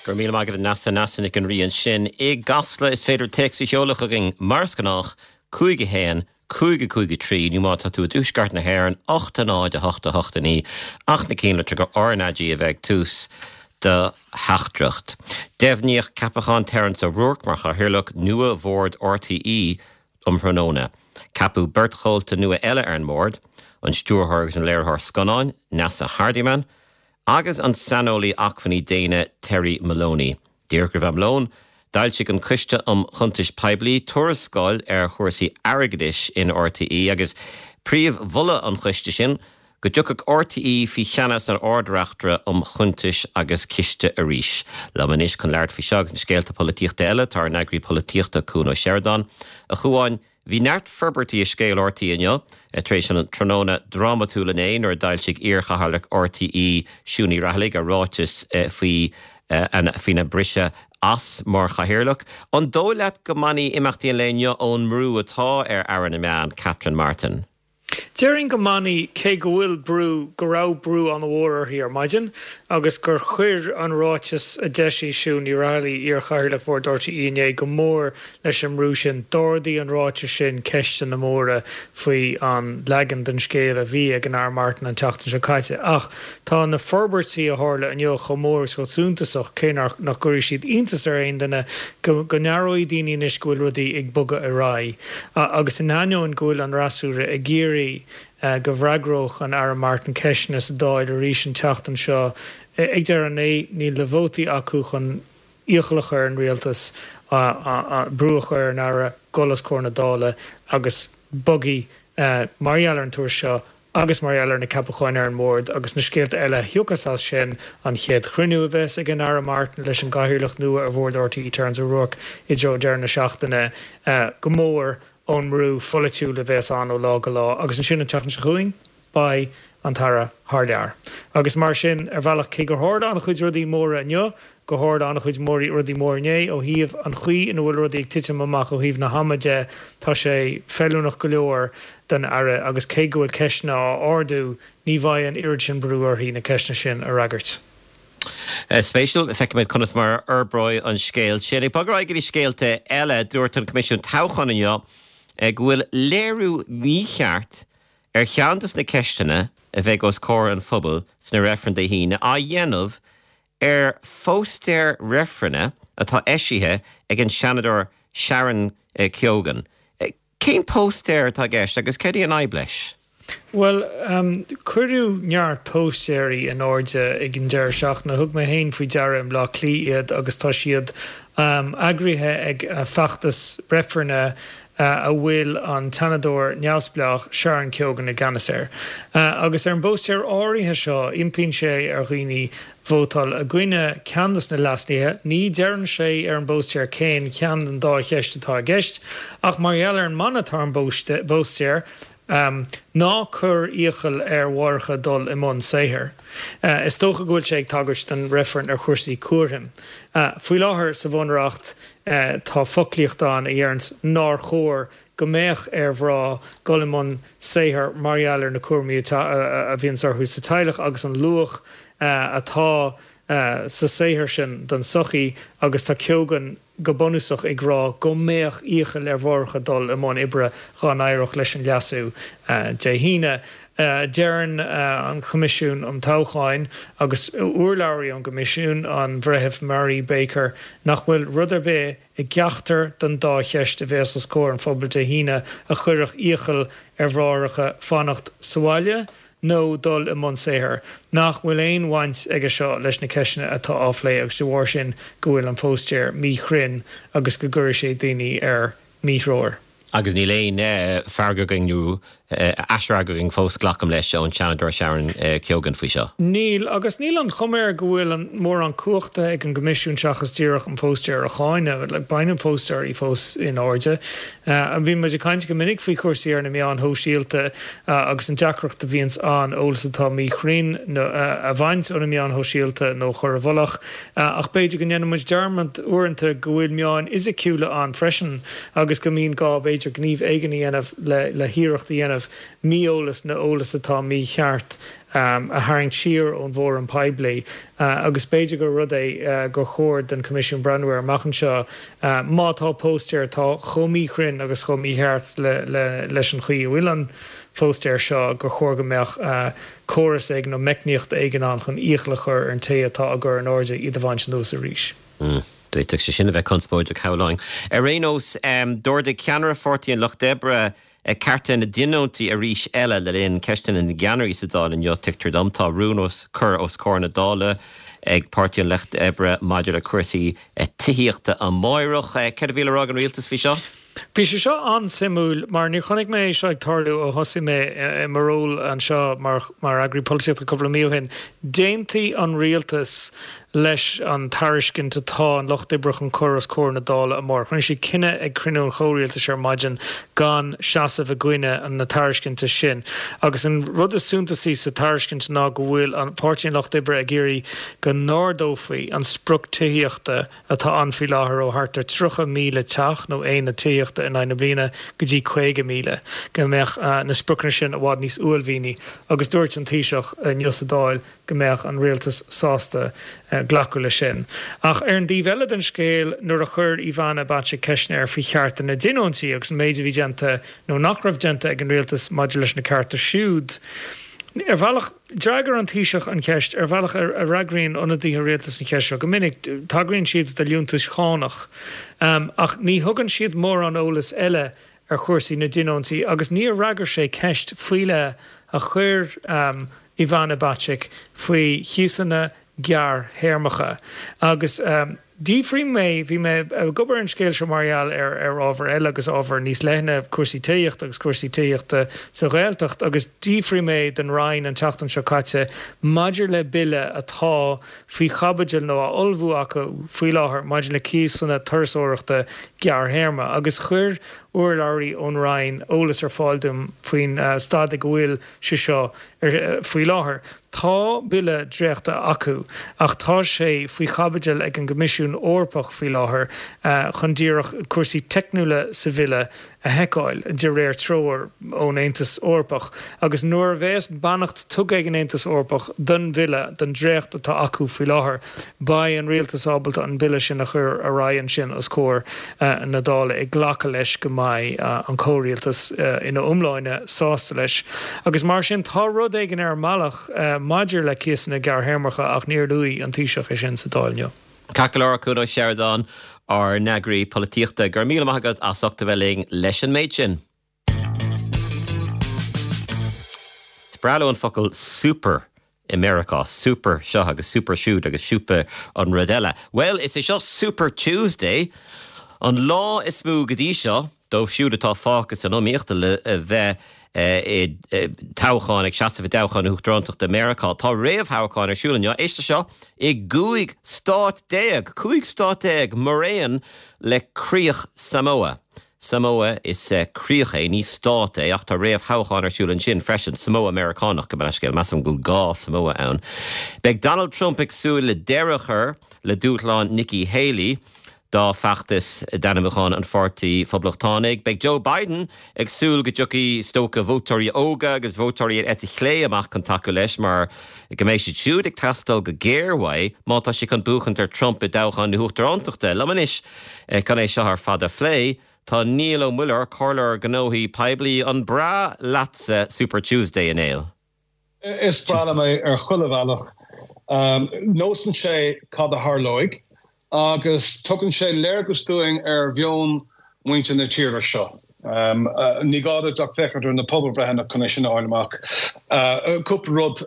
Go raibh míle maith agat a Neasa, Neasa Nic an Rí ansin i gCasla. Is féidir téacs a sheoladh chugainn mar is gnách, 5 1 5 5 3 nó má tá tú i dtuaisceart na hÉireann, 8 0 8 8 9 ach na cinnlitreacha RnaG a bheith ag tús do theachtaireacht. Deimhníodh ceapachán Terence O'Rourke mar Chathaoirleach nua Bhord RTÉ um thráthnóna. Ceapadh beirt chomhalta nua eile ar an mbord, an stiúrthóir agus an léiritheoir scannáin, Neasa Hardiman, agus an saineolaí acmhainní daonna Terry Moloney. Díreach roimh am lóin, d'fhoilsigh an Coiste um Chuntais Poiblí tuarascáil ar chúrsaí airgeadais in RTÉ agus príomh-mholadh an choiste sin go dtiocfadh RTÉ faoi cheannas an Ard-Reachtaire um Chuntais agus Ciste arís. Liom anois chun labhairt faoi seo agus na scéalta polaitíochta eile tá ár n-eagraí polaitíochta Cuan Ó Seireadáin. A Chuáin, Bhí neart forbairtí i scéal RTÉ inniu, tar éis an tráthnóna drámatúil inné nuair a d'fhoilsigh iar-chathaoirleach RTÉ, Siún Ní Raghallaigh, a ráiteas faoi faoina briseadh as mar chathaoirleach. An dóigh leat go mbainfidh imeachtaí an lae inniu ón mbrú atá ar Aire na Meán, Catherine Martin? Déarfainn go mbainfidh, cé go bhfuil brú, go raibh brú an-mhór uirthi ar maidin agus gur chuir an ráiteas a d'eisigh Siún Ní Raghallaigh, iar-chathaoirleach Bhord RTÉ inné, go mór leis an mbrú sin. D'ardaigh an ráiteas sin ceisteanna móra faoi an leagan den scéal a bhí ag an Aire Martin an tseachtain seo caite. Ach tá na forbairtí a tharla inniu chomh mór agus chomh suntasach, cé nach gcuirfidh siad iontas ar aon duine, go n-aireoidh daoine anois go bhfuil rudaí ag bogadh ar aghaidh. Agus in ainneoin go bhfuil an fhreasúra ag iarraidh go bhfreagródh an Aire Martin ceisteanna sa Dáil arís an tseachtain seo, ag deireadh an lae níl na vótaí acu chun iachall a chur ar an rialtas brú a chur ar an Aire dul os comhair na Dála agus bogfaidh, mar gheall ar an tuairisc seo, Agus mar gheall ar na ceapacháin ar an mbord agus na scéalta eile a thiocfas as sin, an chéad chruinniú a bheas ag an Aire Martin leis an gcathaoirleach nua ar bhord RTÉ Terence O'Rourke i dtreo deireadh na seachtaine, go mór ón mbrú pholaitiúil a bheas ann ó lá go lá. Agus ansin an tseachtain seo chugainn, beidh an tAire thar lear. Agus mar sin, ar bhealach, cé gur tharla an-chuid rudaí móra inniu, gur tharla an-chuid rudaí móra inné ó thaobh an chaoi ina bhfuil rudaí ag titim amach ó thaobh na hama de, tá sé feiliúnach go leor don Aire agus cé go bhfuil ceisteanna á ardú, ní bheidh an oiread sin brú uirthi na ceisteanna sin a fhreagairt. Spéisiúil. Feicfimid conas mar a fhorbróidh an scéal sin. Ag bogadh ar aghaidh go dtí scéalta eile, dúirt an Coimisiún Toghcháin inniu go bhfuil léiriú mícheart ar cheann de na ceisteanna a bheidh os comhair an phobail sna reifrinn Dé hAoine á dhéanamh ar phóstaer reifrinne atá eisithe ag an Seanadóir Sharon Keoghan. Cén póstaer atá i gceist agus céard í an fhadhb leis? Bhuel, cuireadh neart póstaeirí in airde ag an deireadh seachtaine. Thug mé féin faoi deara i mBleá Cliath iad agus tá siad eagraithe ag feachtas reifrinne a bhfuil an tSeanadóir neamhspleách Sharon Keoghan i gceannas air. Agus ar an bpóstaer áirithe seo, impíonn sé ar dhaoine vótáil i gcoinne ceann de na leasuithe. Ní deireann sé ar an bpóstaer cén cheann den dá cheist atá i gceist, ach mar gheall ar an mana atá ar an bpóstaer, Ná cuir iachall ar mháithreacha dul i mbun saothair. Is dócha go bhfuil sé ag tagairt don reifreann ar chúrsaí cúraim. Faoi láthair sa Bhunreacht tá foclaíocht ann a dheireanns nár chóir go mbeadh ar mhná dul i mbun saothair mar gheall ar na cúraimí a bhíonns orthu sa teaghlach agus an luach atá sa saothar sin don tsochaí agus tá Keoghan go bunúsach ag rá go mbeadh iachall ar mháithreacha dul i mbun oibre dá n-éireodh leis an leasú Dé hAoine. Deireann an Coimisiún um Toghcháin agus urlabhraí ón gCoimisiún, an Bhreitheamh Marie Baker, nach bhfuil rud ar bith i gceachtar den dá cheist a bheas os comhair an phobail Dé hAoine a chuirfeadh iachall ar mháithreacha fanacht sa bhaile nó dul i mbun saothair, nach bhfuil aon bhaint aige seo leis na ceisteanna atá á phlé agus de bharr sin go bhfuil an póstaer míchruinn agus go gcuirfidh sé daoine ar míthreoir. Agus níl aon freagra againn nó aisfhreagra againn fós, glacaim leis, ón Seanadóir Sharon Keoghan faoi seo. Níl, agus níl an chuma air go bhfuil mórán cumhachta ag an gCoimisiún seachas díreach an póstaer a cháineadh. Beidh na póstaeirí fós in airde. Bíonn muid ag caint go minic faoi chúrsaí ar na meáin shóisialta agus an deacracht a bhíonns ann eolas atá míchruinn a bhaint ó na meáin shóisialta nó a chur i bhfolach. Ach b'fhéidir go ndéanann muid dearmad uaireanta go bhfuil meáin fhisiciúla ann freisin agus go mbíonn gá b'fhéidir gníomh éigin a dhéanamh le hiarracht a dhéanamh. dhéanamh mí-eolas nó eolas atá mícheart a tharraingt siar ón bhfóram poiblí agus b'fhéidir gur rud é gur chóir don Choimisiún breathnú air amach anseo má tá póstaer atá chomh míchruinn agus chomh mícheart leis an chaoi a bhfuil an phóstaer seo gur chóir go mbeadh córas éigin nó meicníocht éigin ann chun iachall a chur ar an té atá á gcur in airde iad a bhaint anuas arís. D'fhéadfadh sé sin a bheith conspóideach, shamhlóinn. Ar aon nós, d'ardaigh ceannaire Pháirtí an Lucht Oibre cearta na dtionóntaí arís eile le linn ceisteanna na gceannairí sa Dáil inniu, tuigtear dom. Tá rún os cur os comhair na Dála ag Páirtí an Lucht Oibre maidir le cúrsaí tithíochta amáireach. Céard a bhí le rá ag an rialtas faoi seo? Bhí sé seo an-suimiúil mar níor chonaic mé é seo ag tarlú ó thosaigh mé i mo ról anseo mar eagraí polaitíochta cúpla mí ó shin. D'aontaigh an rialtas leis an tairiscint atá an Lucht Oibre chun cur os comhair na Dála amárach. Rinne siad cinneadh ag cruinniú an chomhrialtais ar maidin gan seasamh i gcoinne na tairiscinte sin. Agus an rud is suntasaí sa tairiscint ná go bhfuil Páirtí an Lucht Oibre ag iarraidh go n-ardófaí an sprioc tithíochta atá ann faoi láthair ó thart ar 30,000 teach nó aonad tithíochta in aghaidh na bliana go dtí 50,000, go mbeadh na spriocanna sin i bhfad níos uaillmhianaí agus dúirt an Taoiseach inniu sa Dáil go mbeadh an rialtas sásta glacadh leis sin. Ach ar an dtaobh eile den scéal, nuair a chuir Ivana Bacik ceisteanna air faoi chearta na dtionóntaí agus an méid a bhí déanta nó nach raibh déanta ag an rialtas maidir leis na cearta siúd, ar bhealach, D'fhreagair an Taoiseach an cheist ar bhealach a fhreagraíonn ionadaithe rialtais an cheist seo go minic, tagraíonn siad do liúntais chánach, ach ní thugann siad mórán eolais eile ar chúrsaí na dtionóntaí agus níor fhreagair sé ceist faoi leith a chuir Ivana Bacik faoi chíosanna gearrthéarmacha. Agus d'fhiafraigh mé, bhí mé ag obair ar an scéal seo mar gheall ar ar ábhar eile agus ábhar níos leithne, cúrsaí tithíochta agus cúrsaí tithíochta sa Ghaeltacht, agus d'fhiafraigh mé den Roinn an tseachtain seo caite maidir le bille atá faoi chaibidil nó á ullmhú acu faoi láthair maidir le cíosanna turasóireachta gearrthéarma agus chuir urlabhraí ón Roinn eolas ar fáil dom faoin staid ag a bhfuil sé seo faoi láthair. Tá bille dréachtaithe acu ach tá sé faoi chaibidil ag an gCoimisiún Eorpach faoi láthair chun díreach cúrsaí teicniúla sa bhille a sheiceáil, de réir treoir ón Aontas Eorpach. Agus nuair a bheas beannacht tugtha ag an Aontas Eorpach don bhille, don dréacht atá acu faoi láthair, beidh an rialtas ábalta an bille sin a chur ar aghaidh ansin os comhair na Dála, ag glacadh leis go mbeidh an comhrialtas ina iomláine sásta leis. Agus mar sin, tá rud éigin ar an mbealach maidir le cíosanna gearrthéarmacha ach níor luaigh an Taoiseach é sin sa Dáil inniu. Ceart go leor, Cuan Ó Seireadáin, ár n-eagraí polaitíochta, go raibh míle maith agat as ucht a bheith linn leis an méid sin. Is breá leo an focal super i Meiriceá, super seo agus super siúd agus super an rud eile. Bhuel, is é seo Super Tuesday, an lá is mó go dtí seo dóibh siúd atá fágtha san iomaíocht le bheith i dtoghchán, ag seasamh i dtoghchán na hUachtarántachta i Meiriceá. Tá réamhthoghcháin ar siúl inniu, éist leis seo, i gcúig stát déag! 15 stát maraon le críoch Samoa. Samoa, is críoch é, ní stát é, ach tá réamhthoghchán ar siúl ansin freisin. Samoa Meiriceánach, gabh mo leithscéal, measaim go bhfuil dhá Samoa ann. Beidh Donald Trump ag súil le deireadh a chur le dúshlán Nikki Haley dá feachtas d'ainmniúchán an Pháirtí Phoblachtánaigh. Beidh Joe Biden ag súil go dtiocfaidh, is dócha, vótóirí óga agus vótóirí ar eite chlé amach chun tacú leis mar go mbeidh siad siúd ag teastáil go géar uaidh má tá sé chun buachaint ar Trump i dtoghchán na huachtarántachta. Liom anois Chun é seo ar fad a phlé, tá Niall Ó Muilleoir, Comhairleoir Gnóthaí Poiblí. An breá leatsa Super Tuesday, a Néill? Is breá liom é ar chuile bhealach. Neosann sé cad a tharlóidh agus tugann sé léargas dúinn ar mheon mhuintir na tíre seo. Ní gá duit ach féachaint ar na pobalbhreitheanna chun é sin a fháil amach. Cúpla rud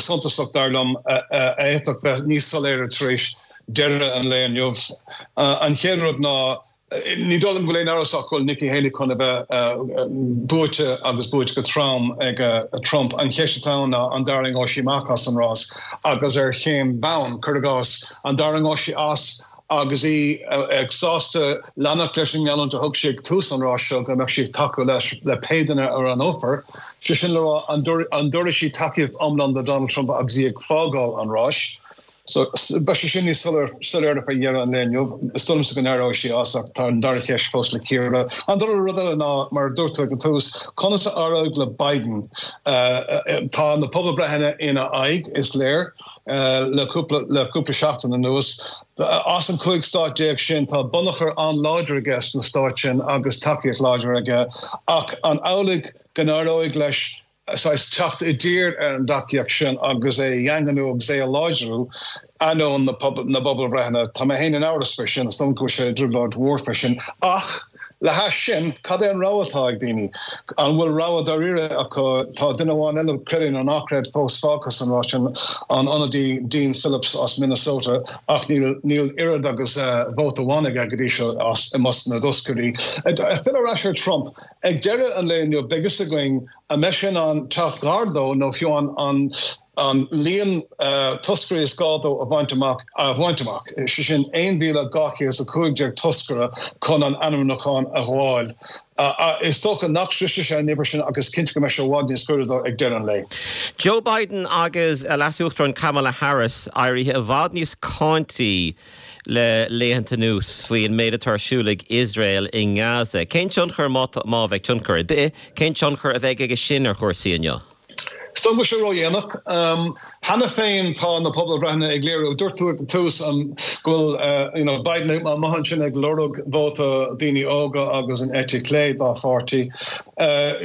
suntasach, dar liom, a fhéadfadh bheith níos soiléire tar éis deireadh an lae inniu. An chéad rud ná, ní dóigh liom go bhfuil aon amhras ach go bhfuil Nikki Haley chun a bheith buaite agus buaite go trom ag Trump. An cheist atá ann ná an dtarraingeoidh sí amach as an rás agus ar cén bhonn? Cuir i gcás, an dtarraingeoidh sí as agus í ag sásta leanacht leis an ngeallúint a thug sí ag tús an ráis seo go mbeadh sí ag tacú leis le pé duine a roghnófar, sé sin le rá, an dtabharfaidh sí tacaíocht iomlán do Donald Trump agus í ag fágáil an ráis? So, beidh sé sin níos soiléire faoi dheireadh an lae inniu. Is dóigh liomsa go n-éireoidh sí as ach tá an dara cheist fós le cíoradh. An dara rud eile ná, mar a dúirt tú ag an tús, conas a éireoidh le Biden? Tá na pobalbhreitheanna ina aghaidh, is léir, le cúpla le cúpla seachtain anuas. As an 15 stát sin, tá bunachar an-láidir aige sna stáit sin agus tacaíocht láidir aige. Ach an amhlaidh go n-éireoidh leis saghas teacht i dtír ar an dtacaíocht sin agus é a dhaingniú agus é a láidriú, ainneoin na bpobalbhreitheanna. Tá mé féin in amhras faoi sin, is dóigh liom go bhfuil sé i dtrioblóid mhór faoi sin. Ach le hais sin, cad é an rogha atá ag daoine? An bhfuil rogha dáiríre acu? Tá duine amháin eile, creid é nó ná creid, fós fágtha san rás sin, an ionadaí Dean Phillips as Minnesota, ach níl níl oiread agus vóta amháin aige go dtí seo as i measc na dtoscairí. Ag filleadh ar ais ar Trump, Ag deireadh an lae inniu, beidh fhios againn an mbeidh sé in ann teacht gar dó nó fiú an an líon toscairí is gá dó a bhaint amach a bhaint amach, sé sin 1,215 toscaire chun an ainmniúchán a ghabháil. Is dócha nach sroisfidh sé an uimhir sin ach is cinnte go mbeidh sé i bhfad níos gaire dó ag deireadh an lae. Joe Biden agus Leas-Uachtarán Kamala Harris éirithe i bhfad níos cáintí le laethanta anuas faoi an méid atá ar siúl ag Iosrael i nGaza. Cén tionchar, má má bheidh tionchar ar bith, cén tionchar a bheidh aige sin ar chúrsaí inniu? Is dóigh go bhfuil sé ródhéanach. Cheana féin tá na pobalbhreitheanna ag léiriú, dúirt tú ag an tús go bhfuil you know Biden amuigh ansin ag lorg vóta daoine óga agus an eite chlé dá pháirtí.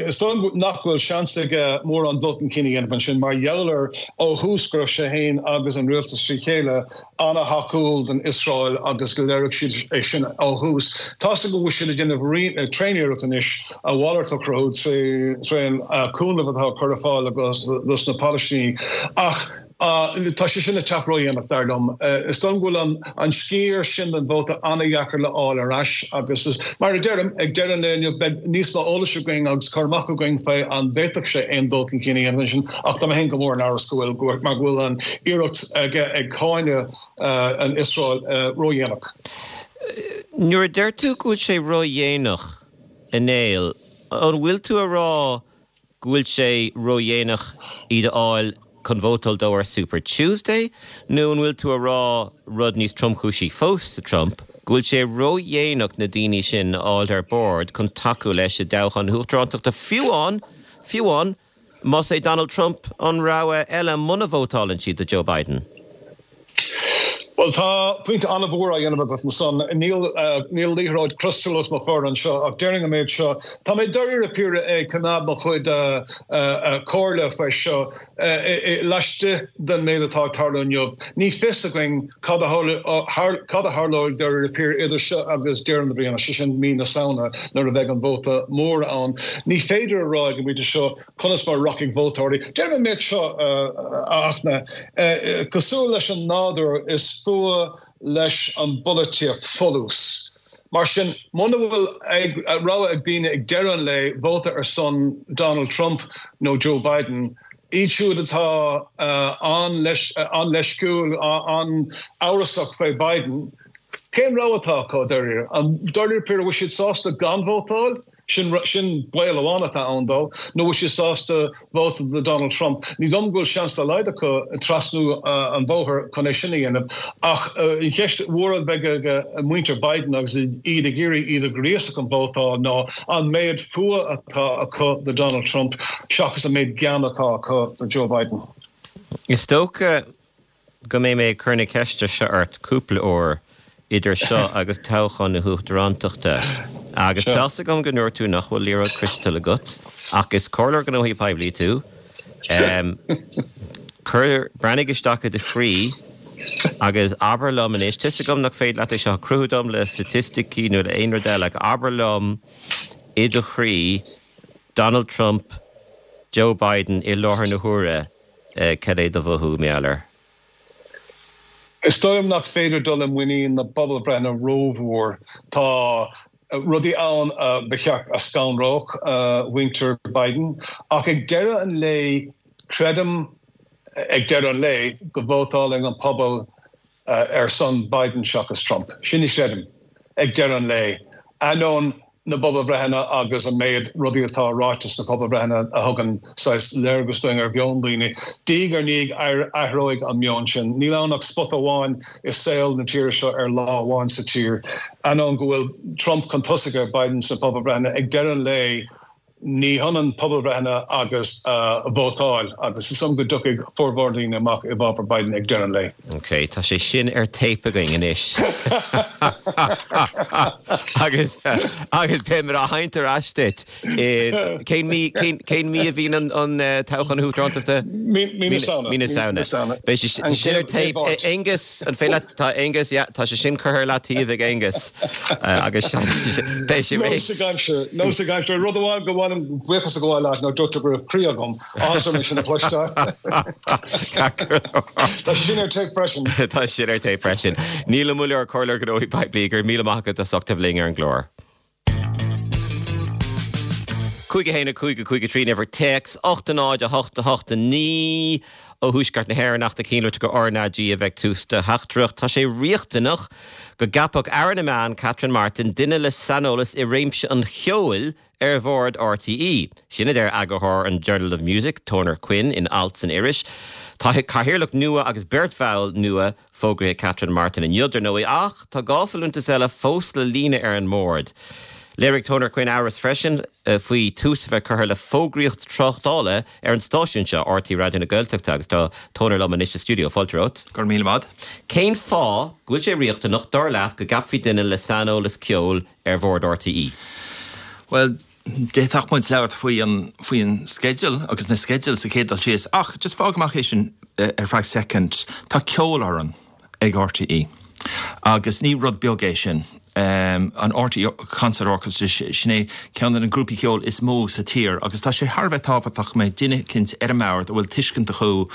Is dóigh nach bhfuil seans aige mórán dul chun cinn a dhéanamh ansin mar gheall ar ó thús go raibh sé féin agus an rialtas trí chéile an-thacúil don Iosrael agus go léirigh siad é sin ó thús. Tá's agam go bhfuil siad ag déanamh tréaniarracht anois a mhalairt a chruthú tré an cúnamh atá á cur ar fáil dos na Palaistínigh ach tá sé sin ag teacht ródhéanach, dar liom. Is dóigh liom go bhfuil an sciar sin den vóta an-dheacair le fháil ar ais agus is, mar a deirim, ag deireadh an lae inniu beidh níos mó eolais againn agus cur amach againn faoi an bhféadfadh sé aon dul chun cinn a dhéanamh ansin ach tá mé féin go mór in amhras go bhfuil, mar go bhfuil an iarracht aige ag cáineadh an Iosrael ródhéanach. Nuair a deir tú go bhfuil sé ródhéanach, a Néill, an bhfuil tú a rá go bhfuil sé ródhéanach iad a fháil chun vótáil dó ar Super Tuesday, nó an bhfuil tú a rá rud níos tromchúisí fós do Trump, go bhfuil sé ródhéanach na daoine sin a fháil ar bord chun tacú leis i dtoghchán na huachtarántachta, fiú amháin, fiú amháin más é Donald Trump an rogha eile muna vótálann siad do Joe Biden? Bhuel, tá pointe an-mhór á dhéanamh agat ansan. Níl níl liathróid criostail os mo chomhair anseo ach déarfainn an méid seo, tá mé dáiríre píre ag coimeád mo chuid comhairle faoi seo laistigh den méid atá ag tarlú inniu. Ní fios againn cad a cad a tharlóidh dáiríre píre idir seo agus deireadh na bliana, sé sin mí na Samhna nuair a bheidh an vóta mór ann. Ní féidir a rá ag an bpointe seo conas mar a rachaidh vótóirí. Deirim an méid seo, a Fhachtna, cosúil leis an nádúr, is fuath leis an bpolaitíocht folús. Mar sin, muna bhfuil rogha ag daoine ag deireadh an lae vóta ar son Donald Trump nó Joe Biden, iad siúd atá an-leisciúil, an-amhrasach faoi Biden, cén rogha atá acu, dáiríre? An dáiríre píre, an bhfuil siad sásta gan vótáil? Sin sin baol amháin atá ann dó. Nó bhfuil siad sásta vóta do Donald Trump? Ní dóigh liom go bhfuil seans dá laghad acu trasnú an bhóthair chun é sin a dhéanamh. Ach an cheist mhór a bheidh ag muintir Biden agus iad ag iarraidh iad a ghríosadh chun vótáil ná an méid fuath atá acu do Donald Trump seachas an méid gean atá acu do Joe Biden. Is dócha go mbeidh mé ag cur na ceiste seo ort cúpla uair idir seo agus toghchán na huachtarántachta. Agus tá's agam go ndúirt tú nach bhfuil liathróid criostail agat, ach is comhairleoir gnóthaí poiblí tú. Cuir, breathnaigh isteach i do chroí agus abair liom anois, tá's agam nach féidir leat é seo a chruthú dom le staitisticí nó le aon rud eile, ach abair liom i do chroí, Donald Trump, Joe Biden i láthair na huaire, Cad é do mhothú mar gheall air? Is dóigh liom nach féidir dul i muinín na bpobalbhreitheanna rómhór. Tá rudaí ann a ba cheart a scanródh mhuintir Biden, ach ag deireadh an lae, creidim ag deireadh an lae go vótálfaidh an pobal ar son Biden seachas Trump. Sin a chreidim ag deireadh an lae. Ainneoin. na bpobalbhreitheanna agus an méid rudaí atá ráite sna pobalbhreitheanna a thugann saghas léargas dúinn ar mheon daoine. Diaidh ar ndiaidh athróidh an meon sin. Níl ann ach spota amháin i saol na tíre seo ar lá amháin sa tír. Ainneoin go bhfuil Trump chun tosaigh ar Biden sna pobalbhreitheanna, ag deireadh an lae, Ní hionann pobalbhreitheanna agus vótáil agus is dóigh liom go dtiocfaidh formhór daoine amach i bhfabhar Biden ag deireadh an lae. Ok, tá sé sin ar téip againn anois. Agus agus beimid á sheinnt ar ais duit i cén mí cén cén mí a bhíonn an an toghchán na hUachtaránachta? Mí mí na Samhna. Mí na Samhna. Beidh sé sin ar téip. Aengus An féidir leat, tá Aengus, yeah, tá sé sin curtha ar leataobh ag Aengus agus beidh sé réidh. Nós ag aimsir, nós ag aimsir. Rud amháin gur mhaith liom buíochas a ghabháil leat ná dúirt tú go raibh croí agam. Áthas orm é sin a chloisteáil. Tá sé sin ar téip freisin. Tá sin ar téip freisin. Niall Ó Muilleoir, Comhairleoir Gnóthaí Poiblí, go raibh míle maith agat as ucht a bheith linn ar an gclár. 5 1 5 5 3 an uimhir téacs 8 0 8 8 9 Ó Thuaisceart na hÉireann ach tá cinnte gur RnaG a bheidh tús do theachtaireacht. Tá sé riachtanach go gceapfadh Aire na Meán, Catherine Martin, duine le saineolas i réimse an cheoil ar bhord RTÉ. Sin a deir eagarthóir an Journal of Music, Toner Quinn, in alt san iris. Tá cathaoirleach nua agus beirt bhall nua Fógraithe ag Catherine Martin inniu, dar ndóigh, ach tá 2 folúntas eile fós le líonadh ar an mbord. Léirigh Toner Quinn amhras freisin faoi tús a bheith curtha le fógraíocht tráchtála ar an stáisiún seo, RTÉ Raidió na Gaeltachta, agus tá Toner liom anois sa stiúideo. Fáilte romhat. Go raibh míle maith. Cén fáth go bhfuil sé riachtanach, dar leat, go gceapfaí duine le saineolas ceoil ar bhord RTÉ? Bhuel, D'fhéadfadh muid labhairt faoi an, faoi an sceideal agus na sceidil sa chéad dul síos ach just fág amach é sin ar feadh soicind. Tá ceolfhoireann ag RTÉ agus ní rud beag é sin. An RTÉ Concert Orchestra, sin é ceann de na grúpaí ceoil is mó sa tír agus tá sé thar a bheith tábhachtach go mbeidh duine eicínt ar an mbord a bhfuil tuiscint acu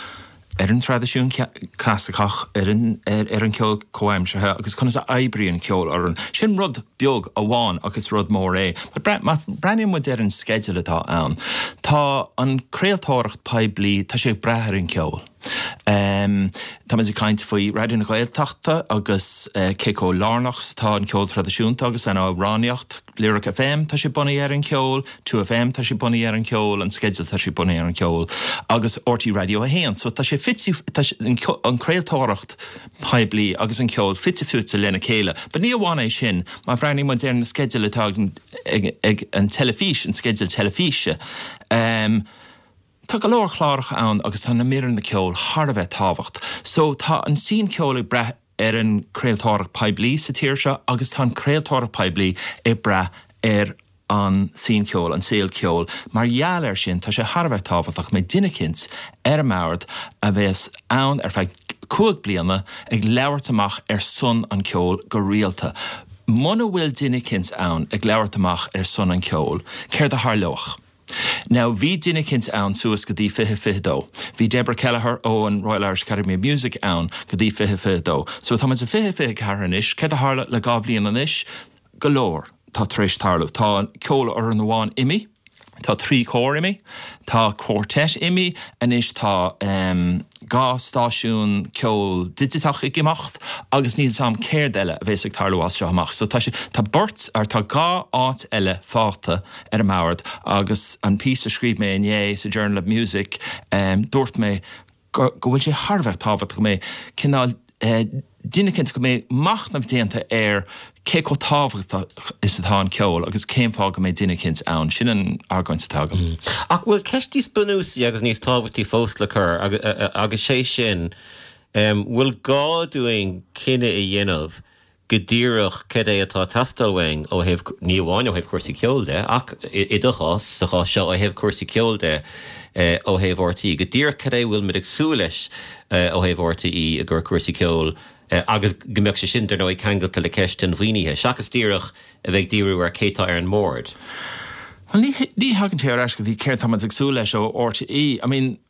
ar an traidisiún clasaiceach, ar an cheol comhaimseartha agus conas a oibríonn ceolfhoireann. Sin rud beag amháin ach is rud mór é. But má breathnaíonn muid ar an sceideal atá ann, tá an craoltóireacht poiblí, tá sé ag brath ar an cheol. Tá muid ag caint faoi Raidió na Gaeltachta agus cé chomh lárnach is atá an ceol traidisiúnta agus an amhránaíocht. Lyric FM, tá sé bunaithe ar an cheol, 2FM, tá sé bunaithe ar an cheol, an sceideal, tá sé bunaithe ar an cheol, agus RTÉ Radio 1. So tá sé fite, tá an craoltóireacht poiblí agus an ceol fite fuaite lena chéile. But ní amháin é sin, má bhreathnaíonn muid ar na sceidil atá ag, ag an teilifís, an sceideal teilifíse, tá go leor cláracha ann agus tá na míreanna ceoil thar a bheith tábhacht. So tá an scene ceoil ag brath ar an craoltóireacht poiblí sa tír seo agus tá an craoltóireacht poiblí ag brath ar an scene ceoil, an saol ceoil. Mar gheall air sin, tá sé thar a bheith tábhachtach go mbeidh duine eicínt ar an mbord a bheas ann ar feadh 5 bliana ag labhairt amach ar son an ceoil go rialta. Muna bhfuil duine eicínt ann ag labhairt amach ar son an ceoil, céard a tharlódh? Now bhí duine eicínt ann suas go dtí 2022. Bhí Deborah Kelleher ó an Royal Irish Academy of Music ann go dtí 2022. So tá muid i 2024 anois, céard a tharla le 2 bhliain anois? Go leor tá tar éis tarlú. Tá ceolfhoireann amháin imithe, tá 3 chór imithe, tá quartet imithe, anois tá em 2 stáisiún ceoil digiteach ag imeacht agus níl 's a'm céard eile a bhéas ag tarlú as seo amach. So tá sé, tá beirt, or tá 2 áit eile fágtha ar an mbord agus an píosa a scríobh mé inné sa Journal of Music dúirt mé go go bhfuil sé thar a bheith tábhachtach go mbeidh cineál duine eicínt go mbeidh machnamh déanta ar cé chomh tábhachtach is atá an ceol agus cén fáth go mbeidh duine eicínt ann. Sin an argóint atá agam. Ach bhfuil ceist níos bunúsaí agus níos tábhachtaí fós le cur agus sé sin, bhfuil gá dúinn cinneadh a dhéanamh go díreach cad é atá ag teastáil uainn ó thaobh, ní amháin ó thaobh cúrsaí ceoil de, ach i do chás, sa chás seo, ó thaobh cúrsaí ceoil de, ó thaobh RTÉ, go díreach cad é a bhfuil muid ag súil leis ó thaobh RTÉ i gcomhair cúrsaí ceoil agus go mbeadh sé sin, dar ndóigh, ceangailte le ceist an mhaoinithe, seachas díreach a bheith ag díriú ar cé tá ar an mbord. Bhuel, ní, ní thagann sé ar ais go dtí céard tá muid ag súil leis ó RTÉ. I mean,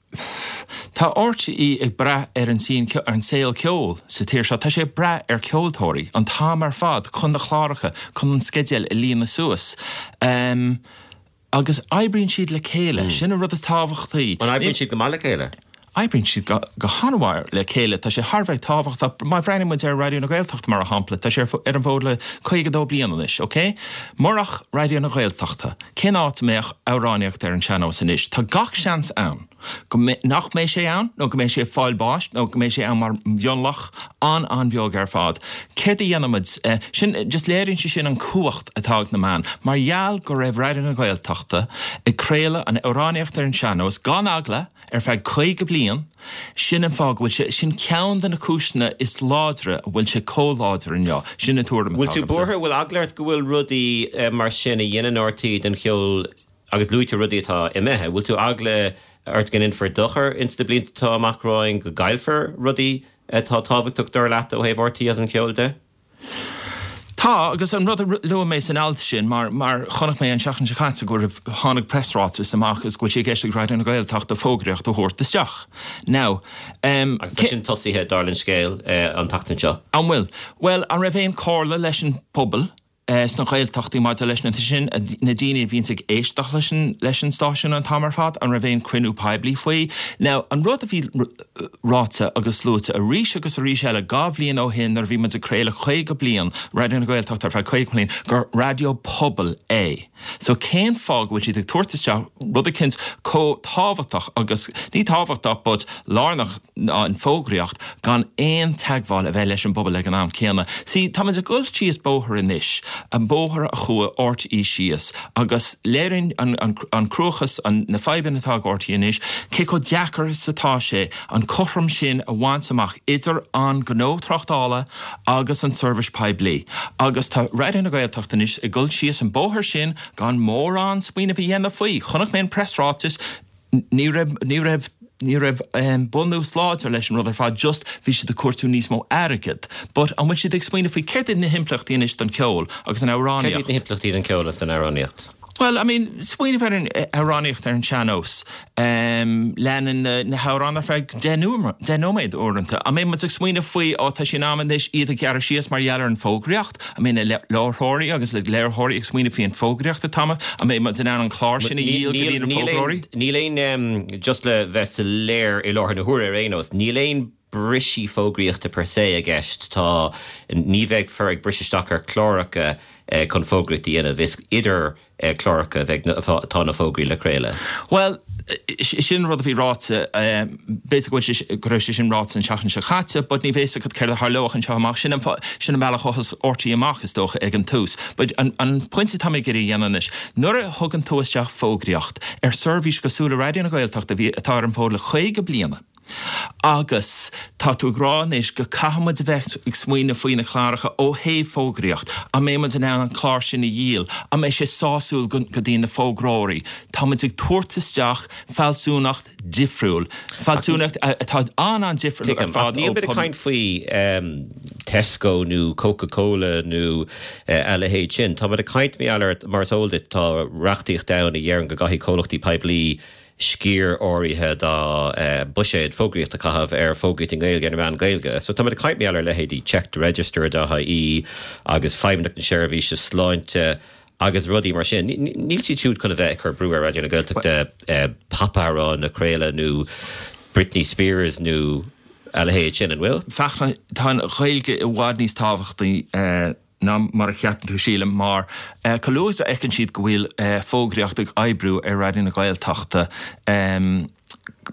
Tá RTÉ ag brath ar an scene, ar an saol ceoil sa tír seo. Tá sé ag brath ar ceoltóirí an t-am ar fad chun na cláracha, chun an sceideal a líonadh suas. Agus oibríonn siad le chéile. Sin an rud is tábhachtaí. An oibríonn siad go maith le chéile? Oibríonn siad go han-mhaith le chéile. Tá sé thar a bheith tábhachtach. Má bhreathnaíonn muid ar Raidió na Gaeltachta, mar shampla, tá sé ar an bhfód le 52 bliain anois, ok? Murach Raidió na Gaeltachta, cén áit a mbeadh amhránaíocht ar an sean-nós anois? Tá gach seans ann go nach mbeidh sé ann nó go mbeidh sé ag fáil bháis nó go mbeidh sé ann mar mhionlach an-an-bheag ar fad. Céard a dhéanfaimid? Sin, just léiríonn sé sin an cumhacht atá ag na meáin. Mar gheall go raibh Raidió na Gaeltachta ag craoladh an amhránaíocht ar an sean-nós gan eagla, ar feadh 50 bliain, sin an fáth go bhfuil sé, sin ceann de na cúiseanna is láidre a bhfuil sé chomh láidir inniu. Sin an tuairim atá agamsa. Bhfuil tú buartha, bhfuil eagla ort go bhfuil rudaí mar sin a dhéanann RTÉ don cheol agus luaigh tú rudaí atá imithe, bhfuil tú eagla ort go ndéanfar dochar ins na blianta atá amach romhainn, go gcaillfear rudaí atá tábhachtach dar leat ó thaobh RTÉ agus an cheoil de? Tá, agus an rud a luaigh mé san alt sin, mar, mar chonaic mé an seachtain seo caite go raibh, tháinig preasráiteas amach agus go bhfuil sé i gceist ag Raidió na Gaeltachta fógraíocht a thabhairt isteach. Now, em, Agus tá sin tosaithe, dar an scéal, an tseachtain seo. An bhfuil? Bhuel, an raibh aon comhairle leis an bpobal sna Gaeltachtaí maidir leis na, sin, na daoine a bhíonns ag éisteacht leis an, leis an stáisiún an t-am ar fad, an raibh aon cruinniú poiblí faoi? Now, an rud a bhí, ráite agus luaite arís agus arís eile 2 bhliain ó shin nuair a bhí muid ag craoladh 50 bliain, Raidió na Gaeltachta ar feadh 50 bliain, gur raidió pobail é. So cén fáth go bhfuil siad ag tabhairt isteach rud eicínt chomh tábhachtach agus, ní tábhachtach but lárnach ná an fógraíocht gan aon teagmháil a bheith leis an bpobal ag an am céanna. See, tá muid ag dul síos bóthar anois, an bóthar a chuaigh RTÉ síos agus léiríonn an cruachás, na fadhbanna atá ag RTÉ anois, cé chomh deacair is atá sé an cothrom sin a bhaint amach idir an gnó tráchtála agus an tseirbhís poiblí. Agus tá Raidió na Gaeltachta anois ag dul síos an bóthar sin gan mórán smaoineamh a dhéanamh faoi. Chonaic mé an preasráiteas, ní raibh, ní raibh, ní raibh bunús láidir leis an rud ar fad, just bhí siad ag cuartú níos mó airgead. But an bhfuil siad ag smaoineamh faoi céard iad na himpleachtaí anois don cheol agus an amhránaíocht? Céard iad na himpleachtaí don cheol agus don amhránaíocht? Bhuel, I mean, smaoineamh ar an amhránaíocht ar an sean-nós. Leanann na hamhráin ar feadh 10 nóiméad uaireanta. An mbeidh muid ag smaoineamh faoi, ó tá sé in am anois iad a ghearradh síos mar gheall ar an bhfógraíocht? An mbeidh na láithreoirí agus na léiritheoirí ag smaoineamh faoi an bhfógraíocht atá amuigh? An mbeidh muid in ann an clár sin a dhíol go dtí na fógróirí? Níl aon, just le bheith soiléir i láthair na huaire ar aon nós, níl aon brisí fógraíochta per se i gceist. Tá, ní bheifear ag briseadh isteach ar chláracha chun fógraíocht a dhéanamh. Is idir cláracha a bheidh, atá na fógraí le craoladh. Bhuel, sin an rud a bhí ráite, b'fhéidir go bhfuil sé, go raibh sé sin ráite an tseachtain seo caite, but ní bheidh a fhios agat céard a tharlóidh anseo amach. Sin an, sin an bealach a thosaigh RTÉ amach, is dócha, ag an tús. But an, an pointe atá mé ag iarraidh a dhéanamh anois, nuair a thugann tú isteach fógraíocht ar seirbhís cosúil le Raidió na Gaeltachta a bhí, atá ar an bhfód le 50 bliana, Agus tá tú ag rá anois go caithfidh muid a bheith ag smaoineamh faoi na cláracha ó thaobh fógraíocht. An mbeidh muid in ann an clár sin a dhíol? An mbeidh sé sásúil go dtí na fógróirí? Tá muid ag tabhairt isteach fealsúnacht difriúil, fealsúnacht atá an-an-difriúil ar fad ó. Níl muid ag caint faoi Tesco nó Coca Cola nó a leithéid sin. Tá muid ag caint, mar is eol duit, tá reachtaíocht ann a dheireann go gcaithfidh comhlachtaí poiblí sciar áirithe dá mbuiséad fógraíochta a chaitheamh ar fógraíocht i nGaeilge ar na meáin Ghaeilge. So táimid ag caint mar gheall ar leithéidí Check the Register dot ie agus Feidhmeannacht na Seirbhíse Sláinte agus rudaí mar sin. Níl siad siúd chun a bheith ag cur brú ar Raidió na Gaeltachta popamhráin a chraoladh nó Britney Spears nó a leithéid sin, an bhfuil? Fachtna, tá an Ghaeilge i bhfad níos tábhachtaí ná mar a cheapann tú, sílim, mar chomh luath is a fheiceann siad go bhfuil fógraíocht ag oibriú ar Raidió na Gaeltachta,